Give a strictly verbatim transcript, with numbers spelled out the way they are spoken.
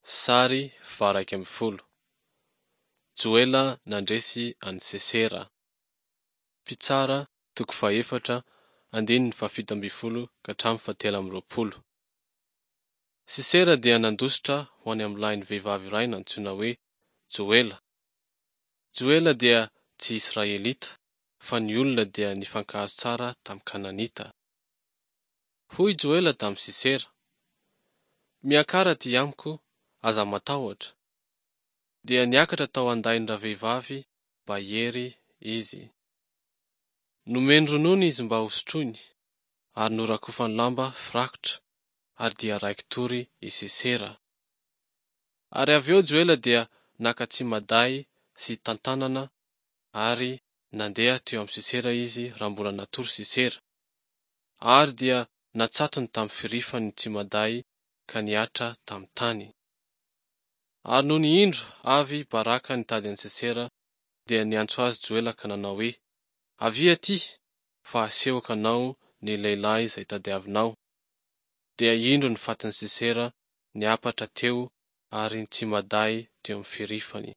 Sary faha-iraika ambin'ny folo. Joela nandresy an'i Sisera. Mpitsara toko fahefatra andininy fahafito ambin'ny folo ka hatramin'ny fahatelo amby roapolo. Sisera dia nandositra ho any amin'ny lahin'ny vehivavy iray nantsoina hoe Joela. Joela dia tsy Israelita, fa ny olona dia nifankahazo tsara tamin'ny Kananita. Hoy Joela tamin'i Sisera: Miakara aty amiko, aza matahotra. Dia niakatra tao an-dain-dravehivavy mba hiery izy. Nomeny ronono izy mba hosotroiny, ary norakofany lamba firakotra, ary dia raiki-tory i Sisera. Ary avy eo Joela dia naka tsimaday sy tantanana ary nandeha teo amin'i Sisera izy raha mbola natory Sisera. Ary dia natsatony tamin'ny firifany ny tsimaday ka nihatra tamin'ny tany. Ary nony indro avy Baraka nitady an'i Sisera, dia niantso azy Joela ka nanao hoe, Avia aty, fa hasehoko anao ny lehilahy izay tadiavinao. Dia indro ny fatin'i Sisera niampatra teo ary ny tsimaday teo amin'ny firifany.